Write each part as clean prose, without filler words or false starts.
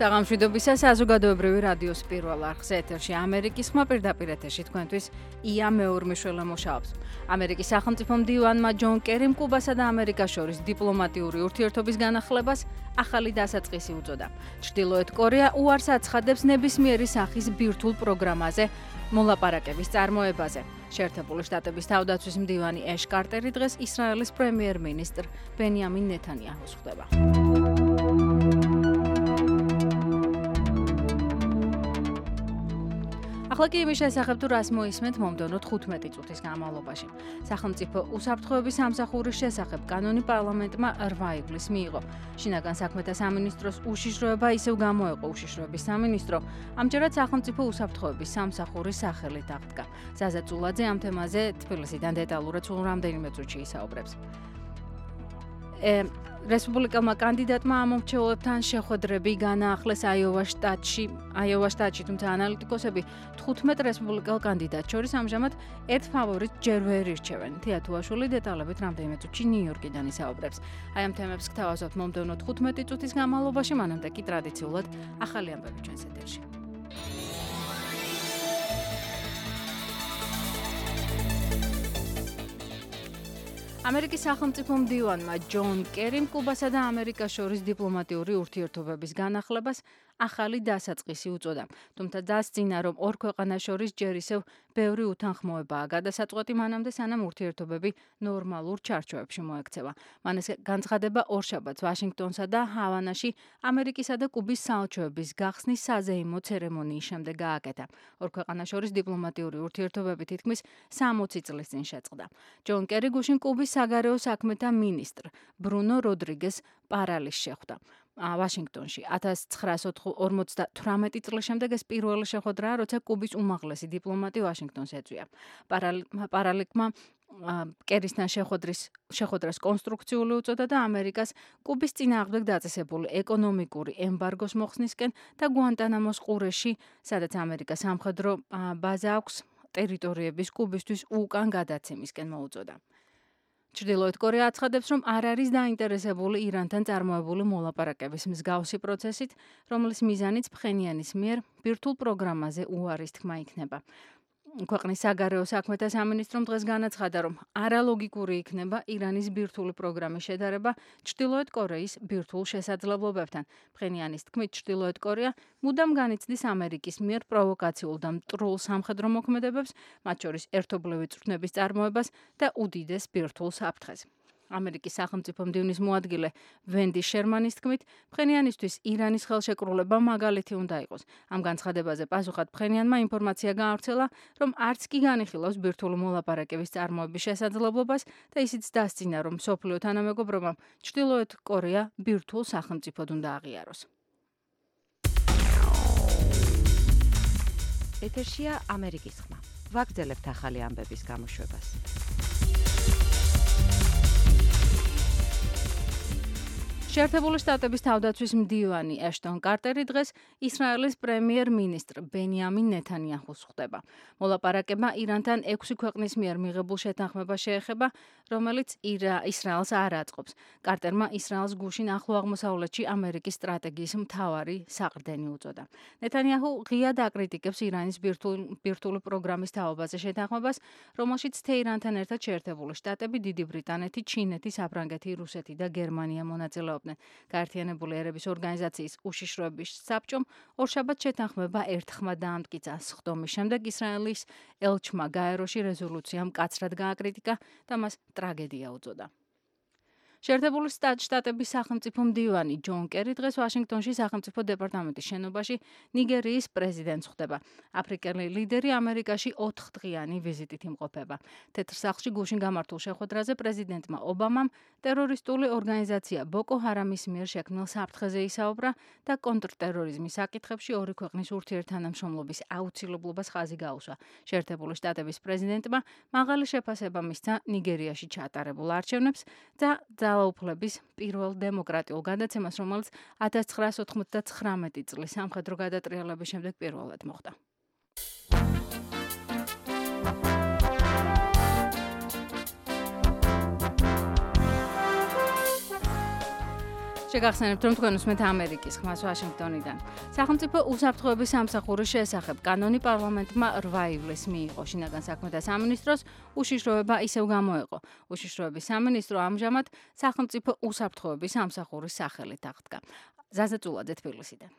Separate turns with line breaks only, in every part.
საღამშვიდობისა საზოგადოებრივი რადიოს პირველ არხზე ეთერში ამერიკის ხმა პირდაპირ ეთერში თქვენთვის ია მეორმიშველა მუშაობს. ამერიკის სახელმწიფო მდივანმა ჯონ კერიმ კუბასა და ამერიკას შორის დიპლომატიური ურთიერთობის განახლებას ახალი დასაწყისი უწოდა. ჩრდილოეთ კორეა უარს აცხადებს ნებისმიერი სახის ბირთვულ პროგრამაზე მოლაპარაკების წარმოებაზე. შეერთებული შტატების თავდაცვის მდივანი ეშ კარტერი დღეს ისრაელის პრემიერ-მინისტრ ბენიამინ ნეთანიაჰუს ხვდება. ახლა კი იმის შესახებ თუ რას მოისმენთ მომდევნო 15 წუთის განმავლობაში. სახელმწიფო უსაფრთხოების სამსახურის შესახებ კანონი პარლამენტმა 8 ივლისს მიიღო. შინაგან საქმეთა სამინისტროს უშიშროება ისევ გამოეყო უშიშროების სამინისტრო, ამჯერად სახელმწიფო უსაფრთხოების სამსახურის სახელით აღდგა. ზაზა წულაძე ამ თემაზე თბილისიდან დეტალურად სულ რამდენიმე წუთში ისაუბრებს. რესპუბლიკელმა კანდიდატმა ამომრჩეველებთან შეხვედრები განაახლეს აიოვას შტატში, თუმცა ანალიტიკოსები 15 რესპუბლიკელ კანდიდატს შორის ამჟამად ერთ ფავორიტს ჯერ ვერ ირჩევენ. თია თუაშვილი დეტალებით რამდენიმე წუთში ნიუ-იორკიდან ისაუბრებს. აი ამ თემებს გთავაზობთ მომდევნო 15 წუთის განმავლობაში, მანამდე კი ტრადიციულად ახალი ამბები ჩვენს ეთერში. ამერიკის სახელმწიფო მდივანმა ჯონ კერიმ კუბასა და ამერიკას შორის დიპლომატიური ურთიერთობების განახლებას ახალი დასაწყისი უწოდა. თუმცა დასძინა, რომ ორ ქვეყანას შორის ჯერ ისევ ბევრი უთანხმოებაა გადასაწყვეტი მანამდე, სანამ ურთიერთობები ნორმალურ ჩარჩოებში მოექცევა. მან ეს განცხადება ორშაბათს ვაშინგტონსა და ჰავანაში ამერიკისა და კუბის საელჩოების გახსნის საზეიმო ცერემონიის შემდეგ გააკეთა. ორ ქვეყანას შორის დიპლომატიური ურთიერთობები თითქმის 60 წლის წინ შეწყდა. ჯონ კერი გუშინ კუბის საგარეო საქმეთა მინისტრ ბრუნო როდრიგეს პარალის შეხვდა. ვაშინგტონში 1958 წლის შემდეგ ეს პირველი შეხვედრაა, როცა კუბის უმაღლესი დიპლომატი ვაშინგტონს ეწვია. პარალიკმა კერისთან შეხვედრას კონსტრუქციული უწოდა და ამერიკას კუბის წინააღმდეგ დაწესებული ეკონომიკური ემბარგოს მოხსნისკენ და გუანტანამოს ყურეში, სადაც ამერიკას სამხედრო ბაზა აქვს, ტერიტორიების კუბისთვის უკან გადაცემისკენ მოუწოდა. ჩრდილოეთ კორეა აცხადებს, რომ არ არის დაინტერესებული ირანთან წარმოებული მოლაპარაკების მსგავსი პროცესით, რომლის მიზანიც ფხენიანის მიერ ბირთვულ პროგრამაზე უარის თქმა იქნება. ქვეყნის საგარეო საქმეთა სამინისტრომ დღეს განაცხადა, რომ არალოგიკური იქნება ირანის ბირთვული პროგრამის შედარება ჩრდილოეთ კორეის ბირთვულ შესაძლებლობებთან. ფხენიანის თქმით, ჩრდილოეთ კორეა მუდამ განიცდის ამერიკის მიერ პროვოკაციულ და მტრულ სამხედრო მოქმედებებს, მათ შორის ერთობლივი წვრთნების წარმოებას და უდიდეს ბირთვულ საფრთხეს. ამერიკის სახელმწიფო მდივნის მოადგილე ვენდი შერმანის თქმით, ფხენიანისთვის ირანის ხელშეკრულება მაგალითი უნდა იყოს. ამ განცხადებაზე პასუხად ფხენიანმა ინფორმაცია გაავრცელა, რომ არც კი განიხილავს ბირთვული მოლაპარაკების წარმოების შესაძლებლობას და ისიც დასძინა, რომ მსოფლიო თანამეგობრობამ ჩრდილოეთ კორეა ბირთვულ სახელმწიფოდ უნდა აღიაროს.
ეთერშია ამერიკის ხმა. ვაგრძელებთ ახალი ამბების გამოშვებას.
შეერთებული შტატების თავდაცვის მდივანი ეშტონ კარტერი დღეს ისრაელის პრემიერ-მინისტრ ბენიამინ ნეთანიაჰუს ხვდება. მოლაპარაკება ირანთან 6 ქვეყნის მიერ მიღებულ შეთანხმებას შეეხება, რომელიც ისრაელს არ აწყობს. კარტერმა ისრაელს გუშინ ახლო აღმოსავლეთში ამერიკის სტრატეგიის მთავარი საყრდენი უწოდა. ნეთანიაჰუ ღიად აკრიტიკებს ირანის ბირთვული პროგრამის თაობაზე შეთანხმებას, რომელშიც თეირანთან ერთად შეერთებული შტატები, დიდი ბრიტანეთი, ჩინეთი, საფრანგეთი, რუსეთი და გერმანია მონაწილეობდნენ. გაერთიანებული ერების ორგანიზაციის უშიშროების საბჭომ ორშაბათს შეთანხმება ერთხმად დაამტკიცა. სხდომის შემდეგ ისრაელის ელჩმა გაეროში რეზოლუცია მკაცრად გააკრიტიკა და მას ტრაგედია უწოდა. შეერთებული შტატების სახელმწიფო მდივანი ჯონ კერი დღეს ვაშინგტონში სახელმწიფო დეპარტამენტის შენობაში ნიგერიის პრეზიდენტს ხვდება. აფრიკელი ლიდერი ამერიკაში 4 დღიანი ვიზიტით იმყოფება. თეთრ სახლში გუშინ გამართულ შეხვედრაზე პრეზიდენტმა ობამამ ტერორისტული ორგანიზაცია ბოკო ჰარამის მიერ შექმნილ საფრთხეზე ისაუბრა და კონტრტერორიზმის საკითხებში ორი ქვეყნის ურთიერთთანამშრომლობის აუცილებლობას ხაზი გაუსვა. შეერთებული შტატების პრეზიდენტმა მაღალი შეფასება მისცა ნიგერიაში ჩატარებულ არჩევნებს და ძალაუფლების პირველ დემოკრატიულ გადაცემას, რომელიც 1999 წლის სამხედრო გადატრიალების შემდეგ პირველად მოხდა. შეგახსენებთ, რომ თქვენ უსმენთ ამერიკის ხმას ვაშინგტონიდან. სახელმწიფო უსაფრთხოების სამსახურის შესახებ კანონი პარლამენტმა 8 ივლისს მიიღო. შინაგან საქმეთა სამინისტროს უშიშროება ისევ გამოეყო. უშიშროების სამინისტრო ამჟამად სახელმწიფო უსაფრთხოების სამსახურის სახელით აღდგა. ზაზა წულაძე თბილისიდან.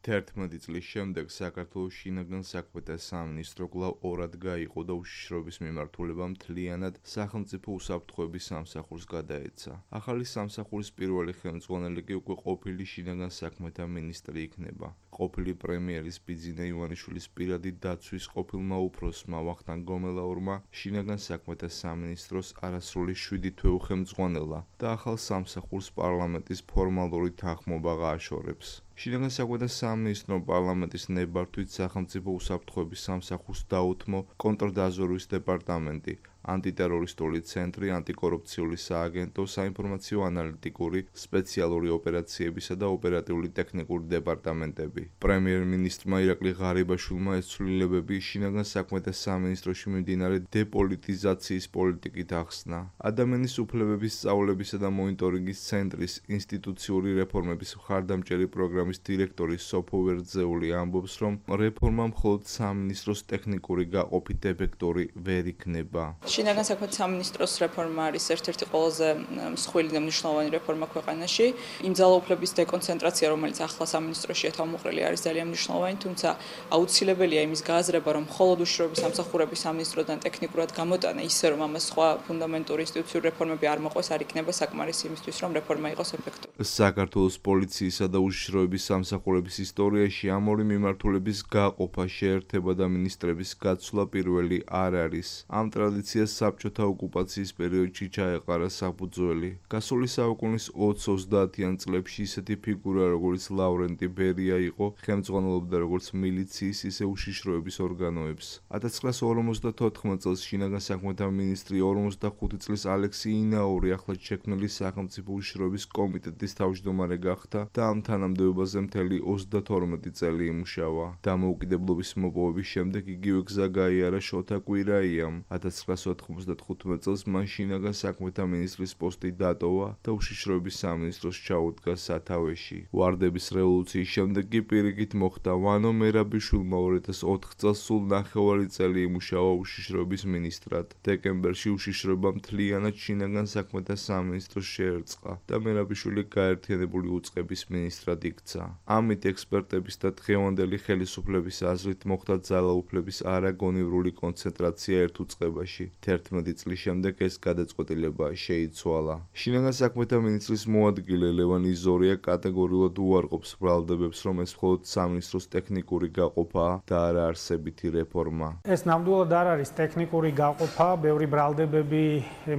11 წლის შემდეგ საქართველოს შინაგან საქმეთა სამინისტრო კვლავ ორად გაიყო და უშიშროების მიმართულება მთლიანად სახელმწიფო უსაფრთხოების სამსახურს გადაეცა. ახალი სამსახურის პირველი ხელმძღვანელი კი უკვე ყოფილი შინაგან საქმეთა მინისტრი იქნება. ყოფილი პრემიერის ბიძინა ივანიშვილის პირადი დაცვის ყოფილმა უფროსმა ვახტანგ გომელაურმა შინაგან საქმეთა სამინისტროს არასრული 7 თვე უხელმძღვანელა და ახალ სამსახურს პარლამენტის ფორმალური თანხმობა გააშორებს. შინაგან საქმეთა სამინისტრომ პარლამენტის ნებართვით სახელმწიფო უსაფრთხოების სამსახურს დაუთმო კონტრდაზვერვის დეპარტამენტი, ანტიტერორისტული ცენტრი, ანტიკორუფციული სააგენტო, საინფორმაციო ანალიტიკური, სპეციალური ოპერაციებისა და ოპერატიული ტექნიკური დეპარტამენტები. პრემიერ-მინისტრმა ირაკლი ღარიბაშვილმა ეს ცვლილებები შინაგან საქმეთა სამინისტროში მიმდინარე დეპოლიტიზაციის პოლიტიკით ახსნა. ადამიანის უფლებების სწავლებისა და მონიტორინგის ცენტრის ინსტიტუციური რეფორმების მხარდამჭერი პროგრამის დირექტორი სოფო ვერძეული ამბობს, რომ რეფორმა მხოლოდ სამინისტროს ტექნიკური გაყოფით ეფექტური ვერ იქნება.
შინაგან საქმეთა სამინისტროს რეფორმა არის ერთ-ერთი ყველაზე მსხვილი და მნიშვნელოვანი რეფორმა ქვეყანაში. იმ ძალაუფლების დეკონცენტრაცია, რომელიც ახლა სამინისტროშია თავმოყრილი, არის ძალიან მნიშვნელოვანი, თუმცა აუცილებელია იმის გააზრება, რომ მხოლოდ უშიშროების სამსახურების სამინისტროდან ტექნიკურად გამოტანა, ისე რომ ამას სხვა ფუნდამენტური ინსტიტუციური რეფორმები არ მოყვეს, არ იქნება საკმარისი იმისთვის, რომ რეფორმა იყოს ეფექტური.
საქართველოს პოლიციისა და უშიშროების სამსახურების ისტორიაში ამ ორი მიმართულების გაყოფა, შეერთება და მინისტრების გაცვლა პირველი არ არის. ამ ტრადიციას საბჭოთა ოკუპაციის პერიოდში ჩაეყარა საფუძველი. გასული საუკუნის 20-30-იან წლებში ისეთი ფიგურა, როგორც ლავრენტი ბერია იყო, ხელმძღვანელობდა როგორც მილიციის, ისე უშიშროების ორგანოებს. 1954 წელს შინაგან საქმეთა მინისტრი, 45 წლის ალექსი ინაური ახლად შექმნილი სახელმწიფო უშიშროების კომიტეტის თავმჯდომარე გახდა და ამ თანამდებობაზე მთელი 32 წელი იმუშავა. დამოუკიდებლობის მოპოვების შემდეგ იგივე გზა გაიარა შოთა კვირაიამ. 1995 წელს მან შინაგან საქმეთა მინისტრის პოსტი დატოვა და უშიშროების სამინისტროს ჩაუდგა სათავეში. ვარდების რევოლუციის შემდეგ კი პირიქით მოხდა ვანო მერაბიშვილმა 2004 წელს სულ 9 წელი იმუშავა უშიშროების მინისტრად. დეკემბერში უშიშროება მთლიანად შინაგან საქმეთა სამინისტროს შეერწყა და მერაბიშვილი გაერთიანებული უწყების მინისტრად იქცა. ამით ექსპერტების და დღევანდელი ხელისუფლების აზრით მოხდა ძალაუფლების არაგონივრული კონცენტრაცია ერთ უწყებაში. 11 წლის შემდეგ ეს გადაწყვეტილება შეიცვალა. შინაგან საქმეთა მინისტრის მოადგილე ლევან იზორია კატეგორიულად უარყოფს ბრალდებებს, რომ ეს მხოლოდ სამინისტროს ტექნიკური გაყოფაა და არა არსებითი რეფორმა.
ეს ნამდვილად არ არის ტექნიკური გაყოფა, ბევრი ბრალდებები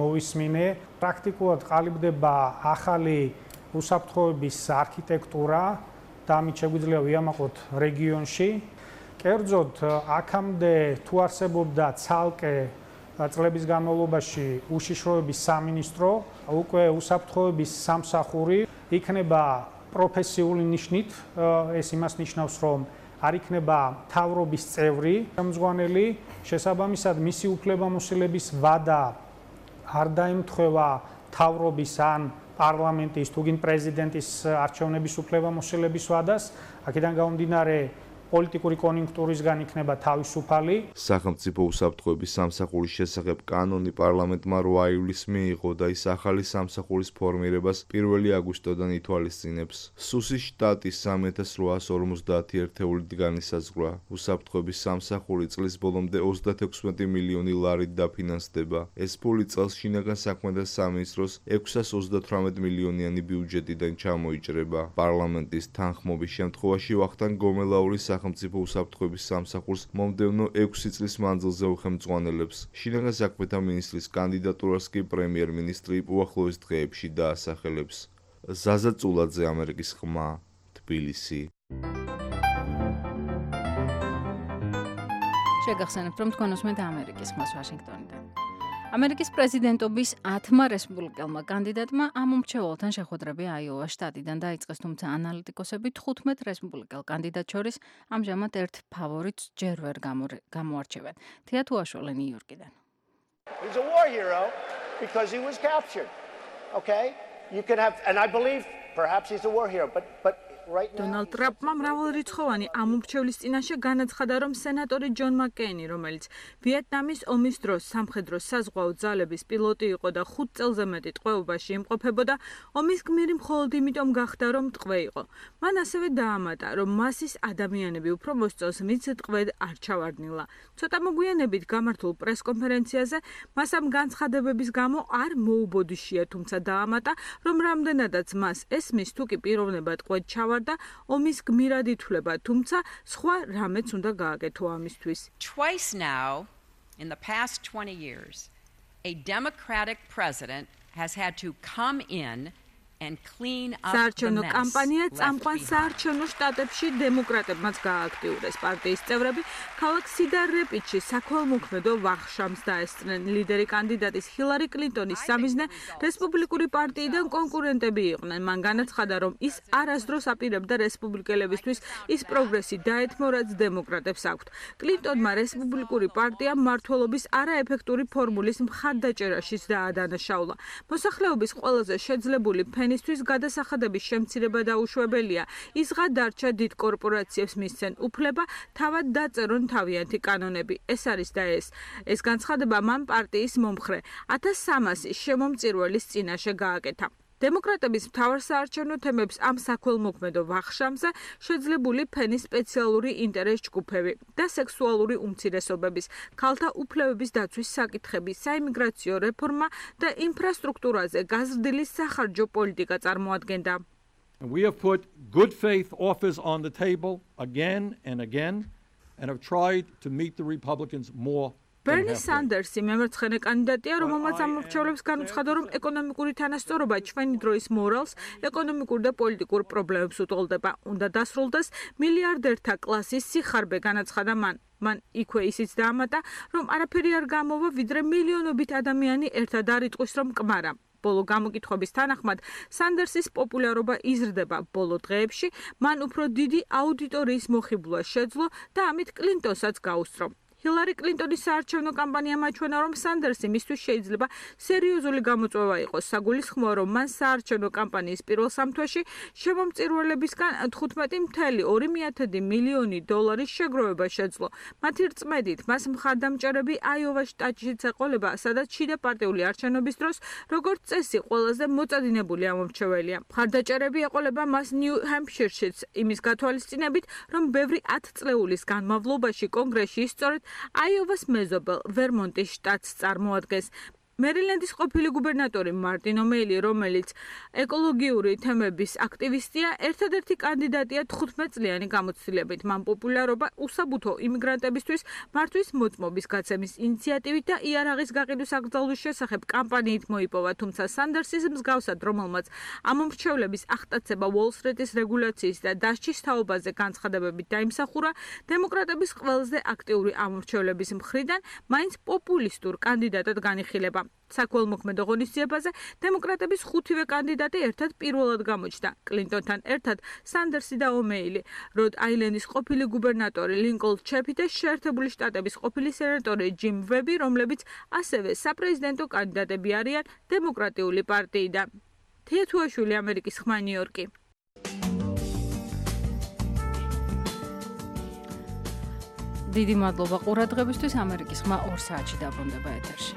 მოვისმინე. პრაქტიკულად ყალიბდება ახალი უსაფრთხოების არქიტექტურა და ამით შეგვიძლია ვიამაყოთ რეგიონში. კერძოდ, აქამდე თუ არსებობდა ცალკე წლების განმავლობაში უშიშროების სამინისტრო, უკვე უსაფრთხოების სამსახური იქნება პროფესიული ნიშნით. ეს იმას ნიშნავს, რომ არ იქნება მთავრობის წევრი ხელმძღვანელი, შესაბამისად მისი უფლებამოსილების ვადა არ დაემთხვევა მთავრობის ან პარლამენტის თუ გინ პრეზიდენტის არჩევნების უფლებამოსილების ვადას. აქედან გამომდინარე პოლიტიკური კონიუნქტურისგან იქნება თავისუფალი.
სახელმწიფო უსაფრთხოების სამსახურის შესახებ კანონი პარლამენტმა 8 ივლისს მიიღო და ის ახალი სამსახურის ფორმირებას 1 აგვისტოდან ითვალისწინებს. სუსის შტატის 3850 ერთეულით განისაზღვრა. უსაფრთხოების სამსახური წლის ბოლომდე 36 მილიონი ლარით დაფინანსდება. ეს ფული წელს შინაგან საქმეთა სამინისტროს 638 მილიონიანი ბიუჯეტიდან ჩამოიჭრება. პარლამენტის თანხმობის შემთხვევაში ვახტანგ გომელაურის სახელმწიფო უსაფრთხოების სამსახურს მომდევნო 6 წლის მანძილზე უხელმძღვანელებს. შინაგან საქმეთა მინისტრის კანდიდატურას კი პრემიერ-მინისტრი უახლოეს დღეებში დაასახელებს. ზაზა წულაძე, ამერიკის ხმა, თბილისი.
შეგახსენებთ, რომ თქვენ უსმენთ ამერიკის ხმას ვაშინგტონიდან. ამერიკის პრეზიდენტობის 10 რესპუბლიკელმა კანდიდატმა ამ უმრჩეველთან შეხვედრები აიოვას შტატიდან დაიწყეს, თუმცა ანალიტიკოსები 15 რესპუბლიკელ კანდიდატ შორის ამჟამად ერთ ფავორიტს ჯერ ვერ გამოარჩევენ. თეა თუაშვილი ნიუ-იორკიდან.
He's a war hero. because he was captured. Okay? You can have, and I believe perhaps he's a war hero, but right now
Donald Trump-მა მრავალრიცხოვანი ამომრჩევლის წინაშე განაცხადა, რომ სენატორი ჯონ მაკკეინი, რომელიც ვიეტნამის ომის დროს სამხედრო საზღვაო ძალების პილოტი იყო და 5 წელზე მეტი ტყვეობაში იმყოფებოდა, ომის გმირი მხოლოდ იმიტომ გახდა, რომ ტყვე იყო. მან ასევე დაამატა, რომ მასის ადამიანები უფრო მოსწონს, ვინც ტყვედ არ ჩავარდნილა. ცოტა მოგვიანებით გამართულ პრესკონფერენციაზე მას ამ განცხადებების გამო არ მოუბოდიშია, თუმცა დაამატა, რომ რამდენადაც მას ესმის, თუ კი პიროვნება ტყვედ ჩავარდნა და ომის გმირად ითვლება, თუმცა სხვა რამეც უნდა გააკეთო ამისთვის.
Twice now in the past 20 years, a Democratic president has had to come in and clean up the
საარჩევნო
mess.
კამპანია
left
წამყვან
behind.
საარჩევნო შტატებში დემოკრატებმაც გააქტიურეს. პარტიის წევრები ქალაქ სიდარ რეპიდში საქველმოქმედო ვახშამს დაესწრნენ. ლიდერი კანდიდატის ჰილარი კლინტონის სამიზნე რესპუბლიკური პარტიიდან კონკურენტები იყვნენ. მან განაცხადა, რომ ის არასდროს აპირებდა რესპუბლიკელებისთვის ის პროგრესი დაეთმო, რაც დემოკრატებს აქვთ. კლინტონმა რესპუბლიკური პარტია მმართველობის არაეფექტური ფორმულის მხარდაჭერაშიც დაადანაშაულა. მოსახლეობის ყველაზე შეძლებული ფენისთვის გადასახადების შემცირება დაუშვებელია. ისღა დარჩა დიდ კორპორაციებს მისცენ უფლება თავად დაწერონ თავიანთი კანონები. ეს არის და ეს განცხადება მან პარტიის მომხრე 1300 შემომწირველის წინაშე გააკეთა. დემოკრატების მთავარ საარჩევნო თემებს ამ საქველმოქმედო ვახშამზე შეძლებული ფენის სპეციალური ინტერეს ჯგუფები და სექსუალური უმცირესობების, ქალთა უფლებების დაცვის საკითხები, საიმიგრაციო რეფორმა და ინფრასტრუქტურაზე გაზრდილი სახარჯო პოლიტიკა წარმოადგენდა.
We have put good faith offers on the table again and have tried to meet the Republicans more.
Bernie Sanders-ი მემარცხენე კანდიდატია, რომელმაც ამორჩევლებს განუცხადა, რომ ეკონომიკური თანასწორობა ჩვენი დროის მორალს, ეკონომიკურ და პოლიტიკურ პრობლემებს უტოლდება. უნდა დასრულდეს მილიარდერთა კლასის სიხარბე, განაცხადა მან. მან იქვე ისიც დაამატა, რომ არაფერი არ გამოვა, ვიდრე მილიონობით ადამიანი ერთად არ იტყვის, რომ კმარა. ბოლო გამოკითხვების თანახმად, სანდერსის პოპულარობა იზრდება. ბოლო დღეებში მან უფრო დიდი აუდიტორიის მოხიბლა შეძლო და ამით კლინტონსაც გაუსწრო. ჰილარი კლინტონის საარჩევნო კამპანია მაჩვენა, რომ სანდერსი მისთვის შეიძლება სერიოზული გამოწვევა იყოს. საგულისხმოა, რომ მან საარჩევნო კამპანიის პირველ სამთვეში შემომწირველებისგან 15.2 მილიონი დოლარის შეგროვება შეძლო. მათი რწმედით, მას მხარდამჭერები აიოვას შტატშიც ეყოლება, სადაც შიდა პარტიული არჩევნების დროს, როგორც წესი, ყველაზე მოწადინებული ამომრჩეველია. მხარდაჭერები ეყოლება მას ნიუ-ჰემფშირშიც, იმის გათვალისწინებით, რომ ბევრი 10 წლეულის განმავლობაში კონგრესში სწორედ აიოვას მეზობელ ვერმონტის შტატს წარმოადგენს. მერილენდის ყოფილი გუბერნატორი მარტინ ომეილი, რომელიც ეკოლოგიური თემების აქტივისტია, ერთადერთი კანდიდატია 15 წლიანი გამოცდილებით. მან პოპულარობა უსაბუთო იმიგრანტებისთვის მართვის მოწმობის გაცემის ინიციატივით და იარაღის გაყიდვის აკრძალვის შესახებ კამპანიით მოიპოვა, თუმცა სანდერსის მსგავსად, რომელმაც ამომრჩევლების ახტაცება უოლ-სტრიტის რეგულაციის და დასჯის თაობაზე განცხადებებით დაიმსახურა, დემოკრატების ყველაზე აქტიური ამომრჩევლების მხრიდან მაინც პოპულისტურ კანდიდატად განიხილება. საქველმოქმედო ღონისძიებაზე დემოკრატების 5-ვე კანდიდატი ერთად პირველად გამოჩნდა. კლინტონთან ერთად სანდერსი და ომეილი, როდ აილენდის ყოფილი გუბერნატორი ლინკოლნ ჩეფი და შეერთებული შტატების ყოფილი სენატორი ჯიმ ვები, რომლებიც ასევე საპრეზიდენტო კანდიდატები არიან დემოკრატიული პარტიიდან. თია თუაშვილი, ამერიკის ხმა, ნიუ-იორკი.
დიდი მადლობა ყურადღებისთვის. ამერიკის ხმა 2 საათში დაბრუნდება ეთერში.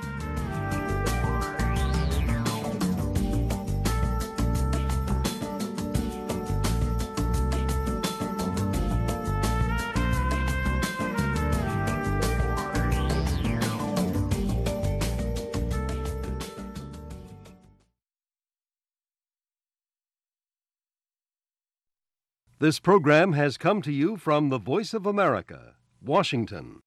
This program has come to you from the Voice of America, Washington.